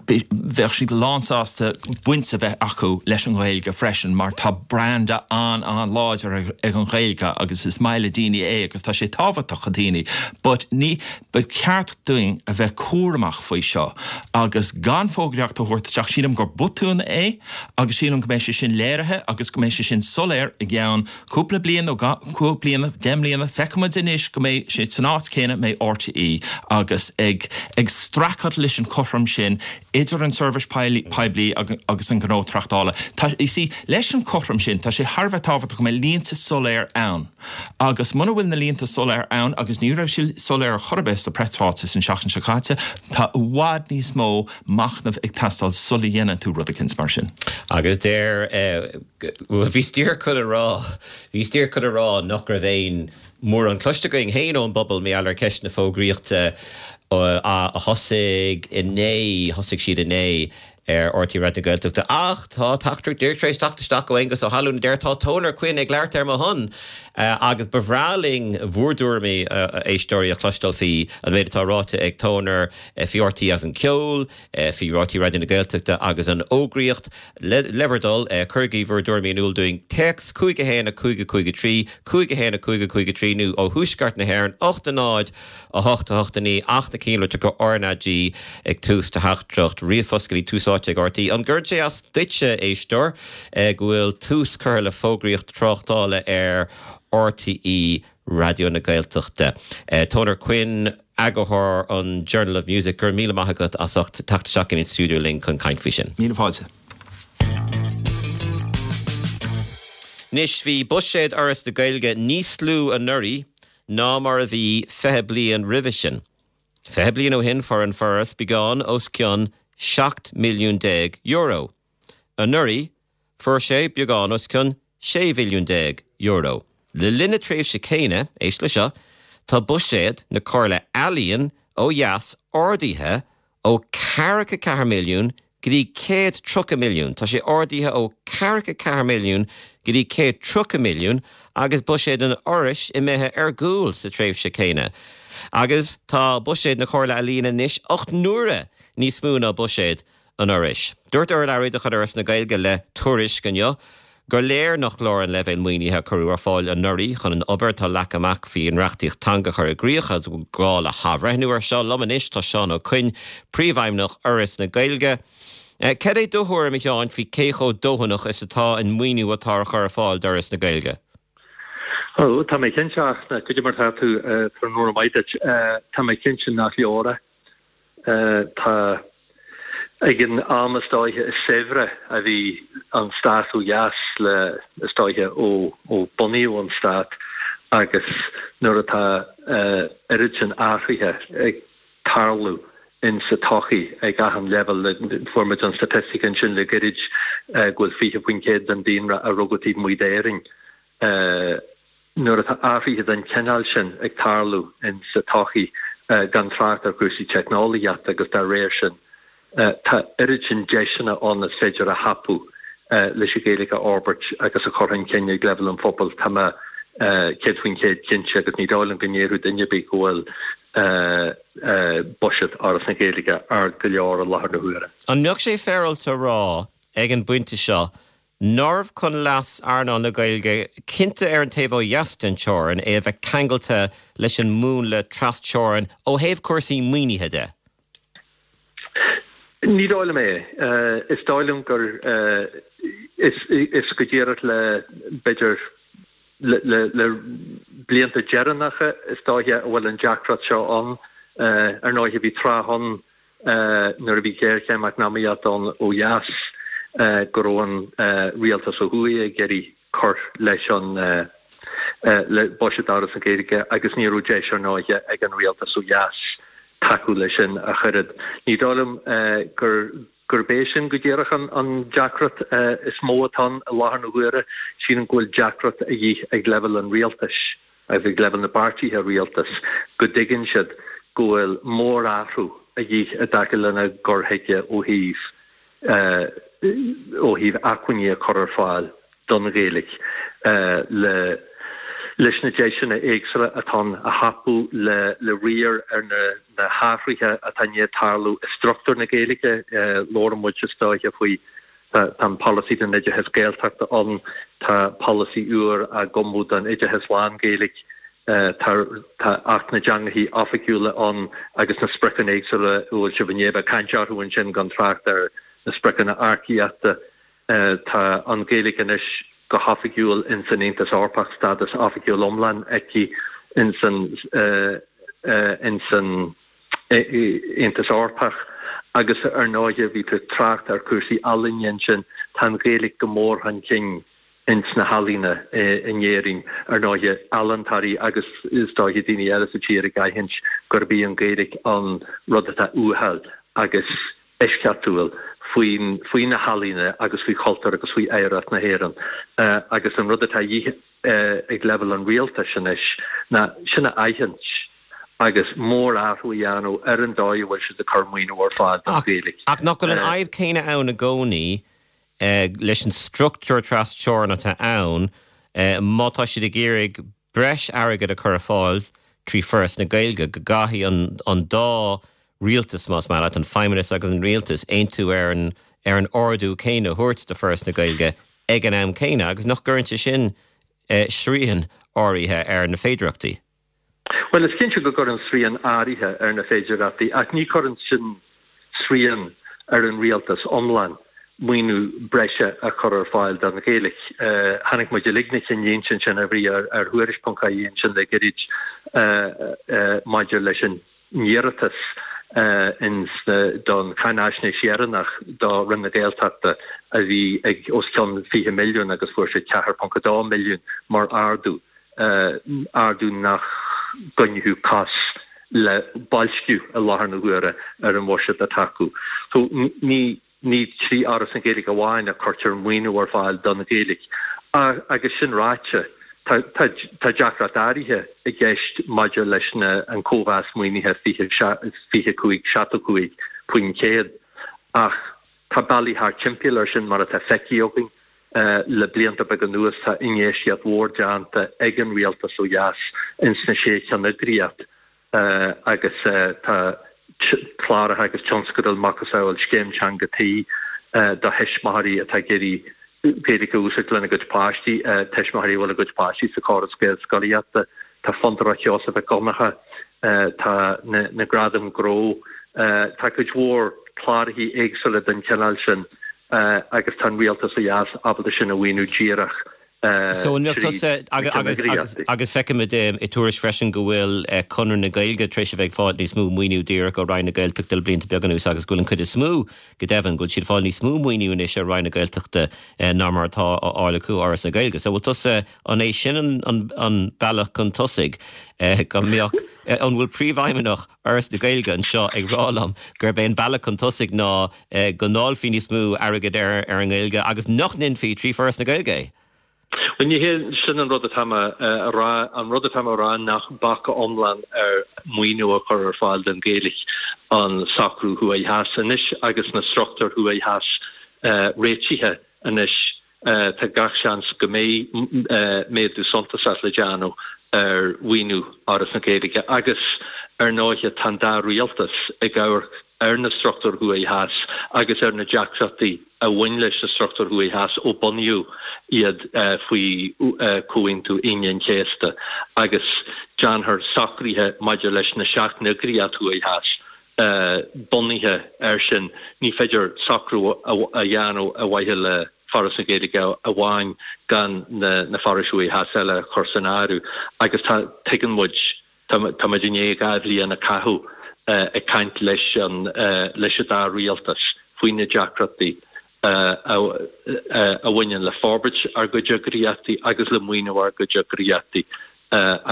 bheadh siad lánsásta baint a bheith acu leis an Ghaeilge freisin mar tá branda an-an-láidir ag an Ghaeilge agus is maith le daoine é agus tá sé tábhachtach do dhaoine. But ní, ba cheart dúinn a bheith cúramach faoi seo agus gan fógraíocht a thabhairt isteach. Sílim gur botún é agus sílim go mbeidh sé sin léirithe agus go mbeidh sé sin soiléir i gceann cúpla bliain nó cúig bliana, 10 mbliana, feicfimid anois go mbeidh sé san áit céanna, mbeidh RTÉ agus ag ag streachailt leis an chothrom sin idir an seirbhís poiblí agus an gnó tráchtála. Tá, you see, leis an chothrom sin, tá sé thar a bheith tábhachtach go mbeidh línte soiléir ann agus muna bhfuil na línte soiléir ann agus ní raibh siad soiléir ar chor ar bith sa preasráiteas an seachtain seo caite, tá i bhfad níos mó machnaimh ag teastáil sula dhéanann tú rud eicínt mar sin. Agus deir, bhuel, bhíos díreach chun a rá, bhíos díreach chun a rá nach raibh aon mórán cloiste againn féin ón bpobal mar gheall ar cheist na fógraíochta a thosaigh inné, thosaigh siad inné. ar RTÉ Raidió na Gaeltachta. Ach tá teachtaireacht díreach tar éis teacht isteach ó Aengus Ó hAlmhain a deir tá Toner Quinn ag labhairt ar mo shon agus ba bhreá linn bhur dtuairimí, a éisteoirí, a chloisteáil faoi an méid atá ráite ag Toner faoi RTÉ agus an ceol, faoi RTÉ Raidió na Gaeltachta agus an fhógraíocht. Le bhur dtoil, cuirigí bhur dtuairimí in iúl dúinn. Téacs 5 1 5 5 3, 5 1 5 5 3 nó ó thuaisceart na hÉireann, 8 0 8 8 9 ach na cinnlitreacha RnaG ag tús do theachtaireacht ríomhphost go dtí Tús Áite ag RTÉ. An gcuireann sé as duitse, éisteoir, go bhfuil tús curtha le fógraíocht tráchtála ar RTÉ Raidió na Gaeltachta? Toner Quinn, eagarthóir an Journal of Music, go raibh míle maith agat as ucht teacht isteach go dtí an stiúideo linn chun caint faoi sin. Míle fáilte. Anois, bhí buiséad Fhoras na Gaeilge níos lú anuraidh ná mar a bhí 20 bliain roimhe sin. 20 bliain ó shin fuair an Foras beagán os cionn €17 milliún. Anuraidh fuair sé beagán os cionn €16 mhilliún. Le linn na tréimhse céanna, éist le seo, tá buiséad na Comhairle Ealaíon ó dheas ardaithe ó 44 milliún go dtí 130 milliún. Tá sé ardaithe ó 44 milliún go dtí 130 milliún agus buiséad an Fhorais imithe ar gcúl sa tréimhse céanna. Agus tá buiséad na Comhairle Ealaíon anois 8 n-uaire níos mó ná buiséad an Fhorais. Dúirt urlabhraí de chuid Fhoras na Gaeilge le Tuairisc inniu gur léir nach leor an leibhéal maoinithe a cuireadh ar fáil anuraidh chun an obair atá leagtha amach faoin reachtaíocht teanga a chur i gcrích agus go bhfuil gá le hathbhreithniú air seo. Liom anois tá Seán Ó Coinn, Príomhfheidhmeannach Fhoras na Gaeilge. Cad é do thuairim, a Sheáin, faoi cé chomh dóthanach is atá an maoiniú atá á chur ar fáil d'Fhoras na Gaeilge? Ó, tá mé cinnte, ach goidé mar tá tú, tráthnóna maith duit. Tá mé cinnte nach leor é. Tá, ag an am is dóiche is saibhre a bhí an stát ó dheas le, is dóiche, ó bunaíodh an stát agus nuair atá oiread sin athruithe ag tarlú in sa tsochaí ag achan leibhéal, fuair muid an staitistic ansin le gairid go bhfuil 20% den daonra a rugadh taobh amuigh d'Éirinn. Nuair atá athruithe den chineál sin ag tarlú in sa tsochaí, gan trácht ar chúrsaí teicneolaíochta agus dá réir sin, tá oiread sin deiseanna ann is féidir a thapú leis an Ghaeilge a fhorbairt agus a chur chun cinn ag leibhéal an phobail. Tá mé 100% cinnte, agus ní dóigh liom go ndéarfadh duine ar bith go bhfuil buiséad Fhoras na Gaeilge ard go leor i láthair na huaire. An mbeadh sé féaráilte a rá ag an bpointe seo nárbh chun leas earnáil na Gaeilge, cinnte ar an taobh ó dheas den teorainn, é a bheith ceangailte leis an múnla tras-teorann ó thaobh cúrsaí maoinithe de? Ní dóigh liom é. Is dóigh liom gur is go díreach le, b'fhéidir, le blianta deireanacha is dóiche a bhfuil an deacracht seo ann. Ar ndóighe bhí tráth ann nuair a bhí géarchéim eacnamaíochta ann ó dheas, go raibh an rialtas ó thuaidh ag iarraidh cur leis an le buiséad Fhoras na Gaeilge agus ní raibh deis ar ndóighe ag an rialtas ó dheas tacú leis sin ach oiread. Ní dóigh liom gur gurb é sin go díreach an deacracht is mó atá ann i láthair na huaire. Sílim go bhfuil deacracht a dhíth ag leibhéal an rialtais. agus ag leibhéal na bpáirtithe rialtais go dtuigeann siad go bhfuil mórathrú a dhíth i dtaca lena gcur chuige ó thaobh ó thaobh acmhainní a chur ar fáil don Ghaeilge le leis na deiseanna éagsúla atá ann a thapú le le riar ar na na hathruithe atá i ndiaidh tarlú i struchtúr na Gaeilge. Labhrann muid is dóiche faoi Tá an polasaí don oideachas Gaeltachta ann, tá polasaí úr á gcumadh don oideachas lán-Ghaeilge, tá Acht na dTeangacha Oifigiúla ann agus na spriocanna éagsúla a bhfuil sibh i ndiaidh a bheith ag caint orthu ansin, gan trácht ar na spriocanna earcaíochta. Tá an Ghaeilge anois go hoifigiúil ins an Aontas Eorpach, stádas oifigiúil iomlán aici ins an ins an Aontas Eorpach agus ar ndóighe bhí tú ag trácht ar chúrsaí ealaíne ansin, tá an Ghaeilge go mór chun cinn ins na healaíona in Éirinn, ar ndóighe ealaíontóirí agus is dóiche daoine eile sa tír ag aithint gurb í an Ghaeilge an rud atá uathúil agus eisceachtúil faoin faoi na healaíona agus faoi chultúr agus faoi oidhreacht na hÉireann agus an rud atá a dhíth ag leibhéal an rialtais anois ná sin a aithint. Agus mórathrú a dhéanamh ar an dóigh a bhfuil siad ag cur maoiniú ar fáil don Ghaeilge. Ach nach bhfuil an fhadhb céanna ann i gcónaí leis an struchtúr tras-teorann atá ann, má tá siad ag iarraidh breis airgid a chur ar fáil trí Foras na Gaeilge, go gcaithfidh an dá rialtas, más maith leat, an Feidhmeannas agus an Rialtas, aontú ar an ar an ardú céanna a thabhairt do Foras na Gaeilge ag an am céanna agus nach gcuireann sé sin srian áirithe ar na féidearthachtaí? Bhuel, is cinnte go gcuireann srian áirithe ar na féidearthachtaí, ach ní chuireann sin srian ar an rialtas iomlán maoiniú breise a chur ar fáil don Ghaeilge. Chonaic muid uilig na cinnlínte ansin a bhí ar Thuairisc ponc ie ansin le gairid maidir leis an n-iarratas don cháinaisnéis dheireanach do Roinn na Gaeltachta a bhí ag os cionn 20 milliún agus fuair siad 4.2 milliún mar ardú. ardú nach gcoinneodh cos le boilsciú i láthair na huaire ar an bhuiséad atá acu. So ní ní trí Fhoras na Gaeilge amháin a cuirtear maoiniú ar fáil don Ghaeilge. Agus sin ráite, tá tá tá deacracht áirithe i gceist maidir leis na an cóimheas maoinithe 25 75% ach tá bealaí thart timpeall air sin mar atá feicthe againn. Le blianta beaga anuas tá infheistíocht mhór déanta ag an rialtas ó dheas ins na sé cheanneagraíocht agus tá cláracha agus tionscadail macasamhail Scéim Teanga Tí do thuismitheoirí atá ag iarraidh Gaeilge a úsáid lena gcuid páistí, tuismitheoirí a bhfuil a gcuid páistí sa chóras Gaelscolaíochta. Tá Fondúireacht Sheosaimh Mhic Dhonncha, tá na Gradaim Ghnó, tá cuid mhór cláracha éagsúla den chineál sin. agus tá an rialtas ó dheas ábalta sin a mhaoiniú díreach So an mbeadh tusa, agus feicimid i Tuairisc freisin go bhfuil Conradh na Gaeilge tar éis a bheith ag fáil níos mó maoiniú díreach ó Roinn na Gaeltachta le blianta beaga anuas agus go bhfuil an chuid is mó, go deimhin, go bhfuil siad ag fáil níos mó maoiniú anois ó Roinn na Gaeltachta ná mar atá á fháil acu ó Fhoras na Gaeilge. So bhfuil tusa, an é sin an bealach chun tosaigh go mbeadh, an bhfuil Príomhfheidhmeannach Fhoras na Gaeilge anseo ag rá liom gurb é an bealach chun tosaigh ná go ndáilfí níos mó airgid ar an nGaeilge agus nach ndéanfaí trí Foras na Gaeilge é. Bhuel, ní hé sin an rud atá mé a rá. An rud atá mé a rá nach bac iomlán ar mhaoiniú a chur ar fáil don Ghaeilge an socrú thuaidh theas anois agus na struchtúir thuaidh theas réitithe anois. Tá gach seans go mbeidh méadú suntasach le déanamh ar mhaoiniú Fhoras na Gaeilge agus, ar ndóighe, tá an dá rialtas ag amharc ar na struchtúir thuaidh theas agus ar na deacrachtaí a bhain leis na struchtúir thuaidh theas ó bunaíodh iad faoi Chomhaontú Aoine an Chéasta agus déanfar socruithe maidir leis na seacht n-eagraíocht thuaidh theas bunaithe air sin. Ní féidir socrú a dhéanamh ar mhaithe le Foras na Gaeilge amháin gan na forais thuaidh theas eile a chur san áireamh agus tá, tuigeann muid, tá muid i ndiaidh 2 bhliain a chaitheamh ag caint leis an, leis an dá rialtas faoi na deacrachtaí a bhaineann le forbairt ár gcuid eagraíochtaí agus le maoiniú ár gcuid eagraíochtaí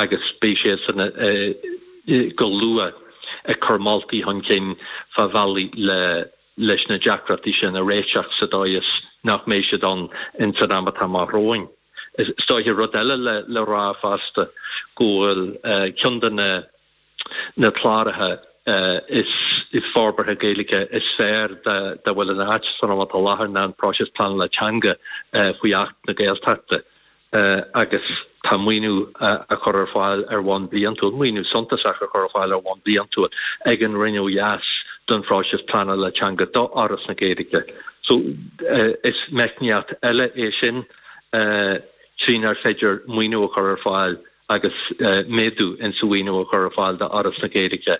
agus beidh siadsan go luath ag cur moltaí chun cinn fá bhealaí le leis na deacrachtaí sin a réiteach sa dóigh is nach mbeidh siad ann ins an am atá amach romhainn. Is dóiche rud eile le rá fosta go bhfuil ceann de na na cláracha is forbartha Gaeilge is fearr dá bhfuil in áit san am atá i láthair ná an próiseas pleanála teanga faoi Acht na Gaeltachta agus tá maoiniú á chur ar fáil ar bhonn bliantúil, maoiniú suntasach á chur ar fáil ar bhonn bliantúil ag an Roinn ó dheas don phróiseas pleanála teanga do Fhoras na Gaeilge. So is meicníocht eile é sin trínar féidir maoiniú a chur ar fáil agus méadú insa mhaoiniú a chur ar fáil do Fhoras na Gaeilge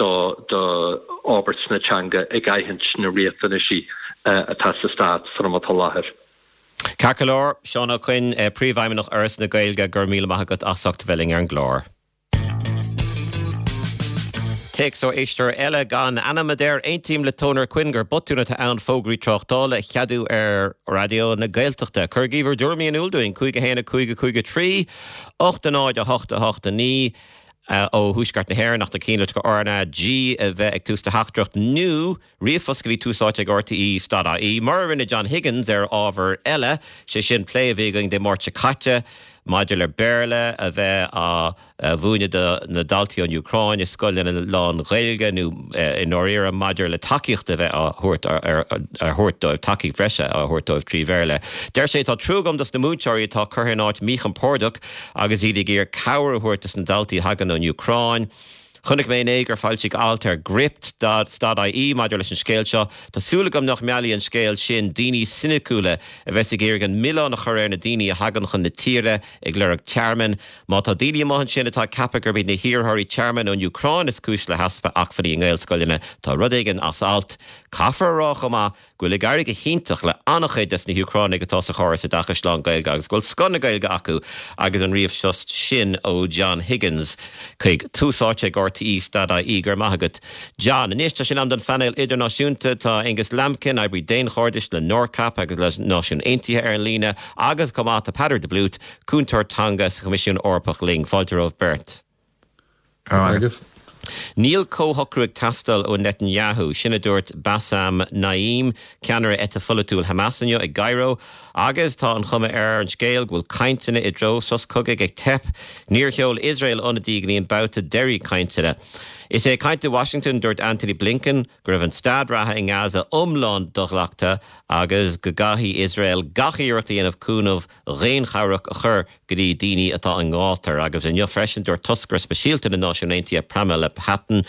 do fhorbairt na teanga ag aithint na riachtanaisí atá sa stát san am atá i láthair. Ceart go leor, Seán Ó Coinn, Príomhfheidhmeannach Fhoras na Gaeilge, go raibh míle maith agat as ucht a bheith linn ar an gclár. Téacs ó éisteoir eile gan ainm a deir, Aontaím le Toner Quinn gur botún atá ann fógraí tráchtála a cheadú ar Raidió na Gaeltachta. Cuirigí bhur dtuairimí in iúl dúinn, 5 1 5 5 3 8 0 8 8 9 ó Thuaisceart na hÉireann ach na cinnlitreacha RnaG a bheith ag tús do theachtaireacht nó Ríomhphost go dtí Tús Áite ag RTÉ dot ie, mar a rinne John Higgins ar ábhar eile, sé sin plé a bhí againn Dé Máirt seo caite. maidir le Béarla a bheith á mhúineadh do na daltaí ón Úcráin i scoileanna lán-Ghaeilge nó i ndáiríre maidir le tacaíocht a bheith á thabhairt dóibh, tacaíocht bhreise á thabhairt dóibh trí Bhéarla. Deir sé, Tá trua agam dos na múinteoirí atá curtha in áit míchompordach agus iad ag iarraidh cabhair a thabhairt dos na daltaí a thagann ón Úcráin. Chonaic mé inné gur foilsíodh alt ar Gript stad IE maidir leis an scéal seo. Tá súil agam nach meallfaidh an scéal sin daoine soiniciúla a bheas ag iarraidh an milleán a chur ar na daoine a thagann chun na tíre ag lorg tearmainn. Má tá daoine amuigh ansin atá ag ceapadh gurb iad na hiarrthóirí tearmainn ón Úcráin is cúis le heaspa acmhainní i nGaelscoileanna, tá rud éigin as alt. Caithfear a rá chomh maith go bhfuil ag éirí go hiontach le an-chuid des na hÚcránaigh atá sa chóras oideachais lán-Ghaeilge agus go bhfuil scoth na Gaeilge acu agus an ríomhphost sin ó John Higgins chuig Tús Áite ag RTÉ stad IE. Go raibh maith agat John. Anois tá sé in am don phainéal idirnáisiúnta. Tá Aengus Lambkin, oibrí daonchairdis le NORCAP agus le Náisiúin Aontaithe ar an líne agus chomh maith tá Peadar de Blúit, cúntóir teanga sa Choimisiún Eorpach linn. Fáilte romhaibh beirt. Agus. Níl comhshocrú ag teastáil ó Netanyahu, sin a dúirt Bassem Naim, ceannaire eite pholaitiúil Hamas inniu i gCairo, agus tá an chuma ar an scéal go bhfuil cainteanna i dtreo sos cogaidh ag teip. Níor sheol Iosrael ionadaí go dtí an babhta deiridh cainteanna. Is é ag caint i Washington, dúirt Antony Blinken go raibh an staid reatha i nGaza iomlán do-ghlactha agus go gcaithfidh Iosrael gach iarracht a dhéanamh cúnamh dhaonchabhrach a chur go dtí daoine atá i ngátar. Agus inniu freisin, dúirt toscaire speisialta na Náisiún Aontaithe, Pramila Patten,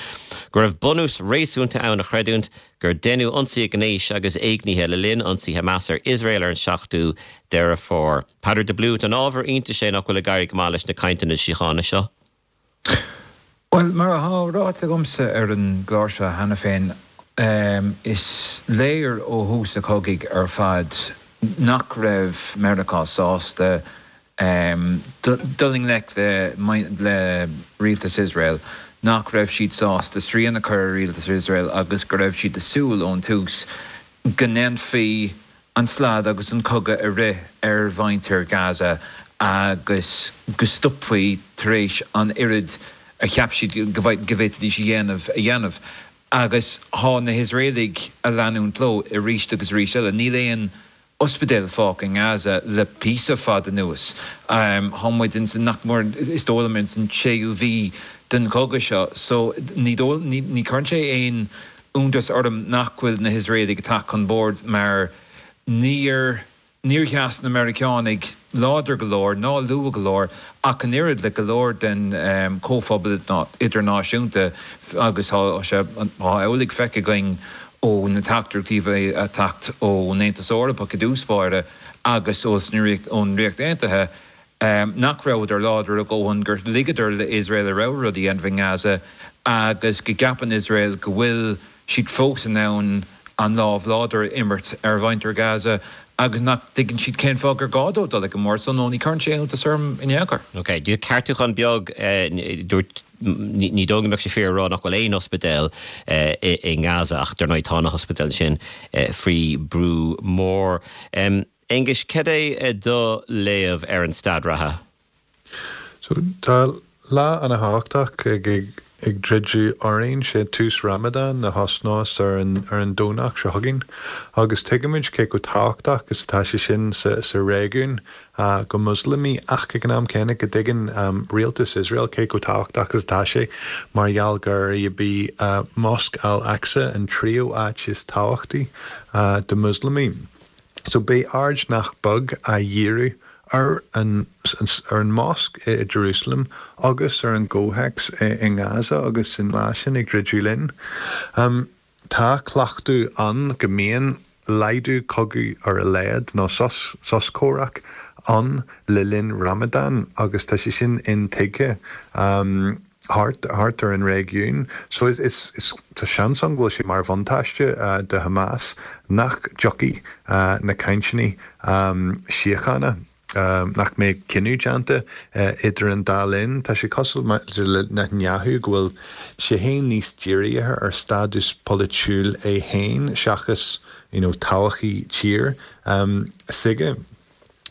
go raibh bunús réasúnta ann a chreidiúint gur deineadh ionsaithe gnéis agus éignithe le linn ionsaí Hamas ar Iosrael ar an 7ú Deireadh Fómhair. Peadar de Blúit, an ábhar iontais é nach bhfuil ag éirí go maith leis na cainteanna síochána seo? Bhuel, mar atá ráite agamsa ar an gclár seo cheana féin, is léir ó thús an chogaidh ar fad nach raibh Meiriceá sásta dul i ngleic le rialtas Iosrael, nach raibh siad sásta srian a chur ar rialtas Iosrael agus go raibh siad ag súil ón tús go ndéanfaí an slad agus an cogadh a rith ar mhuintir Gaza agus go stopfaí tar éis an oiread a cheap siad go bhféadfaidís a dhéanamh a dhéanamh. Agus tá na hIosraelaigh ag leanúint leo arís agus arís eile. Níl aon ospidéal fágtha i nGaza le píosa fada anuas. Tá muid ins an, nach mór, is dóigh liom, ins an séú mhí den chogadh seo. So ní dóigh, ní chuireann sé aon iontas orm nach bhfuil na hIosraelaigh ag teacht chun boird mar níor níor sheas na Meiriceánaigh láidir go leor ná luath go leor ach an oiread le go leor den chomhphobal idirnáisiúnta agus tá sé tá amhlaidh feicthe againn ó na teachtaireachtaí a bhí ag teacht ón Aontas Eorpach i dtús báire agus ón Ríocht Aontaithe. nach rabhadar láidir a dhóthain, gur ligeadar le Iosrael a rogha rud a dhéanamh i nGaza agus go gceapann Iosrael go bhfuil siad fós in ann an lámh láidir a imirt ar mhuintir Gaza agus nach dtuigeann siad cén fáth gur gá dóibh dul ag an mbord so no ní chuireann sé iontas orm in aon chor. Ok, ceartúchán beag, dúirt, ní dóigh go mbeadh sé fíor a rá nach bhfuil aon ospidéal i nGaza ach dar ndóigh tá na hospidéil sin faoi brú mór. Aonghus, cad é do léamh ar an staid reatha? So, tá lá ana-thábhachtach ag ag druidim orainn, sé tús Ramadan a thosnós ar an ar an Domhnach seo chugainn agus tuigimid cé chomh tábhachtach is atá sé sin sa sa réigiún do Mhoslamaigh ach ag an am céanna go dtuigeann rialtas Iosrael cé chomh tábhachtach is atá sé mar gheall gur í Mosc Al-Aqsa an tríú áit is tábhachtaí do Mhoslamaigh. So beidh aird nach beag á dhíriú ar an ar an mosc i Jerusalem agus ar an gcomhthéacs i nGaza agus an lá sin ag druidim linn. Tá cleachtadh ann go mbíonn laghdú cogaidh ar a laghad nó sos sos comhraic ann le linn Ramadan agus tá sé sin intuigthe. thart thart ar an réigiún. So is is is tá seans ann go bhfuil sé mar bhuntáiste do Hamas nach dtiocfaidh na cainteanna síochána, nach mbeidh cinneadh déanta idir an dá linn. Tá sé cosúil maidir le Netanyahu go bhfuil sé féin níos dírithe ar stádas polaitiúil é féin seachas you know todhchaí tír s'aige.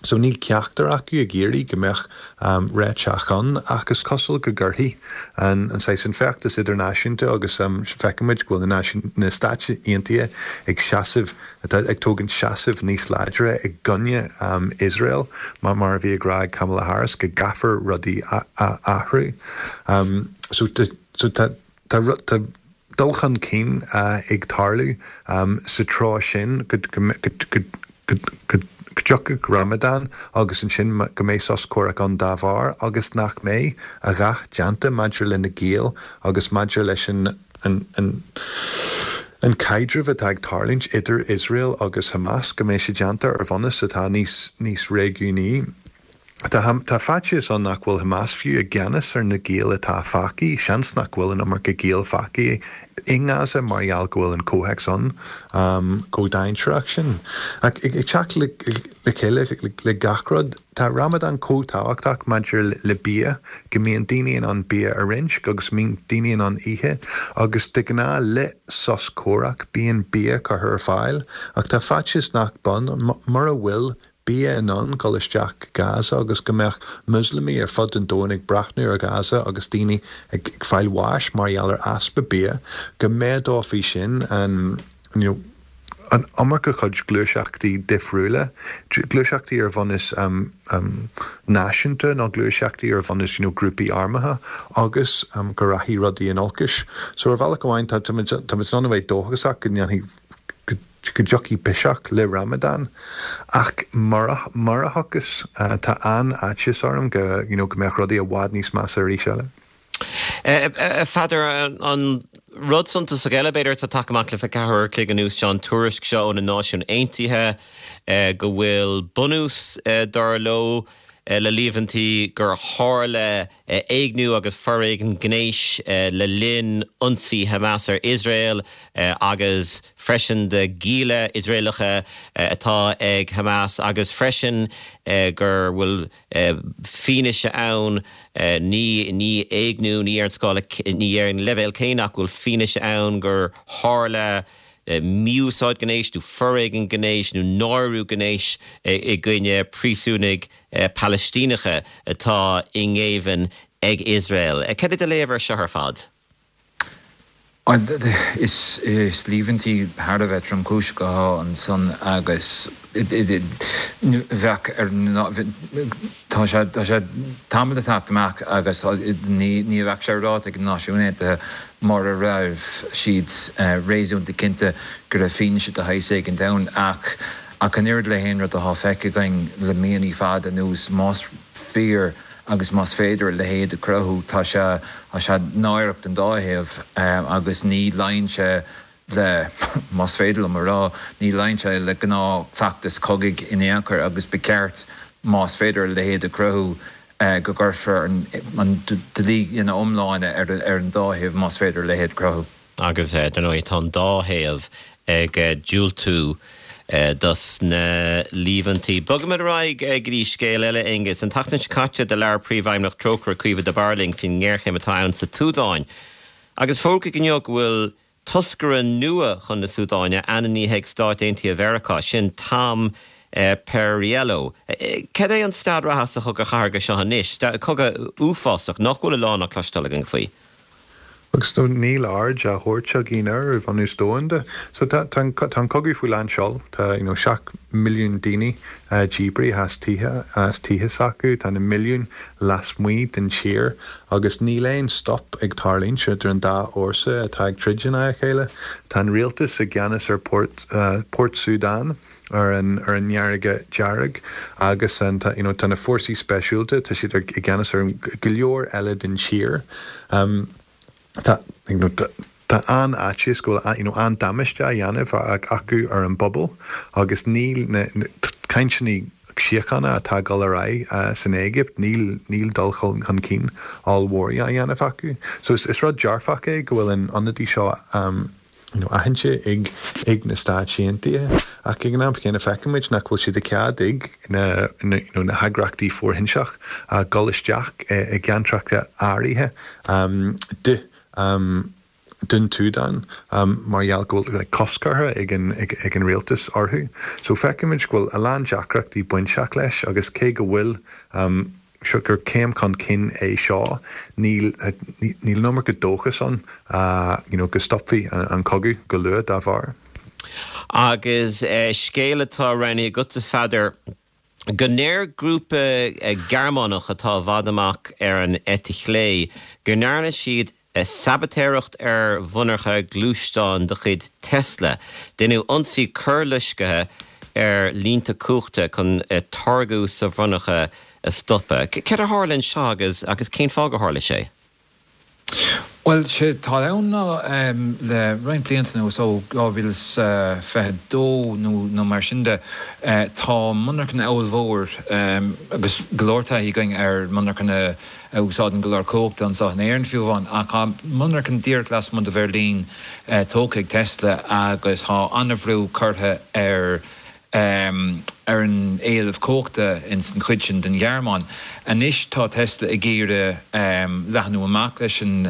So níl ceachtar acu ag iarraidh go mbeadh réiteach ann ach is cosúil go gcuirfidh an saghas an feachtas idirnáisiúnta agus feicimid go bhfuil na na Stáit Aontaithe ag seasamh atá ag tógaint seasamh níos láidre i gcoinne Iosrael mar mar a bhí ag rá ag Kamala Harris go gcaithfear rudaí a athrú. So so tá Tá dul chun cinn ag tarlú sa treo sin go dtiocfadh Ramadan agus ansin go mbeidh sos comhraic ann dá bharr agus nach mbeidh a dhath déanta maidir le na giall agus maidir leis an an caidreamh atá ag tarlúint idir Iosrael agus Hamas, go mbeidh sé déanta ar bhunús atá níos réigiúnaí. Tá faitíos ann nach bhfuil Hamas fiú i gceannas ar na giall atá fágtha, seans nach bhfuil an iomarca giall fágtha i nGaza mar gheall go bhfuil an comhthéacs ann chomh dainséarach sin. Ach ag teacht le chéile le gach rud, tá Ramadan chomh tábhachtach maidir le bia, go mbíonn daoine in ann bia a roinnt agus mbíonn daoine in ann ithe agus de ghnáth le sos comhraic bíonn bia curtha ar fáil ach tá faitíos nach bun mura bhfuil bia in ann dul isteach go Gaza agus go mbeadh Muslamaigh ar fud an domhain ag breathnú ar Ghaza agus daoine ag fáil bháis mar gheall ar easpa bia, go méadófaí sin an you know an iomarca chuid gluaiseachtaí difriúla, gluaiseachtaí ar bhunús náisiúnta nó gluaiseachtaí ar bhunús you know grúpaí armtha agus go rachaidh rudaí in olcais. So ar bhealach amháin tá tá muid in ann a bheith dóchasach go ndéanfaidh go go dtiocfaidh biseach le Ramadan ach mura mura thiocfas tá an-fhaitíos orm go you know go mbeadh rudaí i bhfad níos measa arís eile. A Pheadair, an rud suntasach eile b'fhéidir atá tagtha amach le 24 uair a chloig anuas seo an tuairisc seo ó na Náisiúin Aontaithe go bhfuil bunús dar leo le líomhaintí gur tharla éigniú agus foréigean gnéis le linn ionsaí Hamas ar Iosrael agus freisin de ghialla Iosraelacha atá ag Hamas agus freisin gur bhfuil fianaise ann, ní ní éigniú, ní ar an scála, ní ar an leibhéal céanna ach go bhfuil fianaise ann gur tharla mí-úsáid gnéis nó foréigean gnéis nó náiriú gnéis i gcoinne príosúnaigh Palaistíneacha atá i ngéibheann ag Iosrael. Cad é do léamh ar seo ar fad? Bhuel, is líomhaintí thar a bheith tromchúiseach atá ansan agus bheadh ar tá sé tá sé tamall ag teacht amach agus ní ní bheadh sé ráite ag na Náisiúin Aontaithe mura raibh siad réasúnta cinnte go raibh fianaise de shaghas éigint ann ach Ach an oiread le haon rud atá feicthe againn le míonna fada anuas, más fíor agus más féidir a leithéid a chruthú, tá sé, tá sé náireach don dá thaobh agus ní luíonn sé le, más féidir liom a rá, ní luíonn sé le gnáthchleachtas cogaidh in aon chor agus ba cheart, más féidir a leithéid a chruthú, go gcuirfear an dlí ina iomláine ar an dá thaobh, más féidir a leithéid a chruthú. Agus, dar ndóigh, tá an dá thaobh ag diúltú dos na líomhaintí. Bogfaimid ar aghaidh go dtí scéal eile, Aonghus. An tseachtain seo caite, do labhair Príomhfheidhmeannach Trócaire, Caoimhe de Barra linn faoin ngéarchéim atá ann sa tSúdáin. Agus fógraíodh inniu go bhfuil toscaire nua chun na Súdáine ainmnithe ag Stáit Aontaithe Mheiriceá, sin Tom Perriello. Cad é an staid reatha sa chogadh cathartha seo anois? Cogadh uafásach nach bhfuil a lán á cloisteáil againn faoi. Agus níl aird á thabhairt againn air ar bhunús domhanda. So tá tá tá an cogadh faoi lán seol. Tá you know 7 milliún daoine díbrithe as tithe as tithe s'acu. Tá na milliúin lasmuigh den tír agus níl aon stop ag tarlúint idir an dá fhórsa atá ag troid in aghaidh a chéile. Tá an rialtas i gceannas ar Port Port Sudan ar an ar an bhFarraige Dhearg agus an tá you know tá na fórsaí speisialta tá siad ar i gceannas ar go leor eile den tír. Tá you know tá an-fhaitíos go bhfuil you know an-damáiste á dhéanamh acu ar an bpobal agus níl na na cainteanna síochána atá ag dul ar aghaidh san Éigipt níl níl dul chun cinn ollmhór á dhéanamh acu. So is is rud dearfach é go bhfuil an ionadaí seo you know aitheanta ag ag na Stáit Aontaithe ach ag an am céanna feicimid nach bhfuil sé de chead ag na na you know na heagraíochtaí fóirthinseach dul isteach i gceantracha áirithe de. Dún tSúdáin mar gheall go bhfuil cosc curtha ag an ag an rialtas orthu. So feicimid go bhfuil a lán deacrachtaí bainteach leis agus cé go bhfuil seo gur céim chun cinn é seo níl níl an iomarca dóchas ann you know go stopfaí an cogadh go luath dá bharr. Agus scéal atá roghnaithe agatsa Pheadair, go ndeir grúpa Gearmánach atá i bhfad amach ar an eite chlé go ndearna siad sabaitéireacht ar mhonarcha gluaisteán de chuid Tesla. Deineadh ionsaí coirloiscthe ar línte cumhachta chun táirgeadh sa mhonarcha a stopadh. Céard a tharla anseo agus agus cén fáth gur tharla sé? Bhuel, sé atá ann ná le roinnt blianta anuas, ó 2022 nó mar sin de, tá monarchana ollmhór agus go leor taithí againn ar monarchana a úsáideann go leor cumhachta anseo in Éirinn fiú amháin, ach tá monarchan díreach lasmuigh de Bheirlín tógtha ag Tesla agus tá an-bhrú curtha ar ar an éileamh cumhachta ins an chuid sin den Ghearmáin. Anois tá Tesla ag iarraidh leathnú amach leis an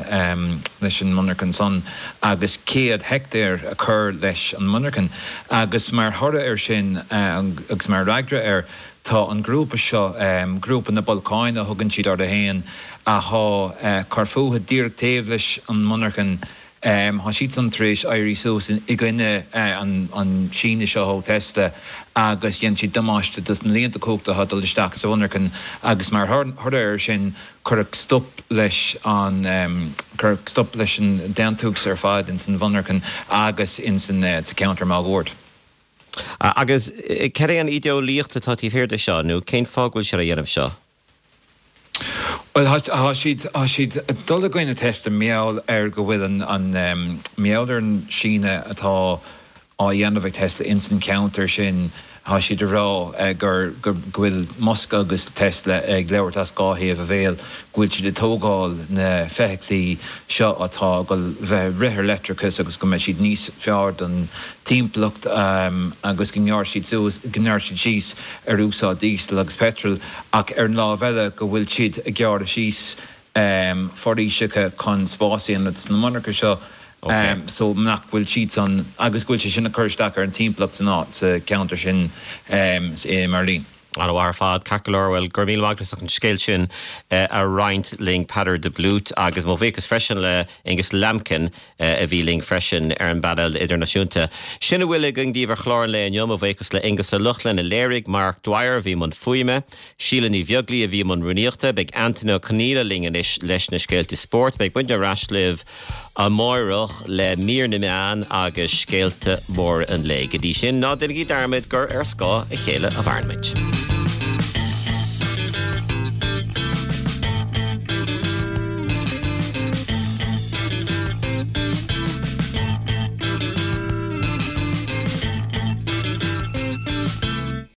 leis an monarchan san agus 100 heictéar a chur leis an monarchan agus mar thoradh air sin agus mar fhreagra air tá an grúpa seo, Grúpa na Bolcáin a thugann siad orthu fhéin, athá ag cur fúthu díreach taobh leis an monarchan. Tá siadsan tar éis éirí suas i gcoinne an síneadh seo ó Tesla agus dhein siad damáiste dos na líonta cumhachta atá ag dul isteach sa mhonarchan agus mar thoradh air sin cuireadh stop leis an cuireadh stop leis an déantús ar fad ins an mhonarchan agus ins an sa cheantar máguaird. Agus cad é an ídeolaíocht atá taobh thiar de seo nó cén fáth go bhfuil siad á dhéanamh seo? Bhuel, tá siad, tá siad ag dul i gcoinne Tesla mar gheall ar go bhfuil an, an, mar gheall ar an síneadh atá á dhéanamh ag Tesla ins an cheantar sin, tá siad ag rá gur, go bhfuil Musk agus Tesla ag labhairt as dhá thaobh a bhéil, go bhfuil siad ag tógáil na feithiclí seo atá ag dul bheith ag rith ar leictreachas agus go mbeidh siad níos fearr don timpeallacht agus go ngearrfaidh siad suas, go ngearrfaidh siad síos ar úsáid díosail agus peitril ach ar an lámh eile go bhfuil siad ag gearradh síos foraoiseacha chun spás a dhéanamh sna monarcha seo so nach bhfuil siadsan agus go bhfuil sé sin ag cur isteach ar an timpeallacht san áit, sa cheantar sin i mBeirlín. An-mhaith ar fad, ceart go leor. Bhuel, go raibh míle maith agat as an scéal sin a roinnt linn, Peadar de Blúit, agus mo bhuíochas freisin le Aonghus Lambkin a bhí linn freisin ar an bpainéal idirnáisiúnta. Sin a bhfuil againn daoibh ar chlár an lae inniu. Mo bhuíochas le Aonghus Ó Lochlainn a léirigh, Mark Dwyer a bhí i mbun fuaime, Síle Ní Bheaglaoi a bhí i mbun rúnaíochta. Beidh Antaine Ó Conghaile linn anois leis na scéalta spóirt. Beidh muidne ar ais libh amáireach le mír na meán agus scéalta móra an lae. Go dtí sin, ná déanaigí dearmad gur ar scáth a chéile a mhaireann muid.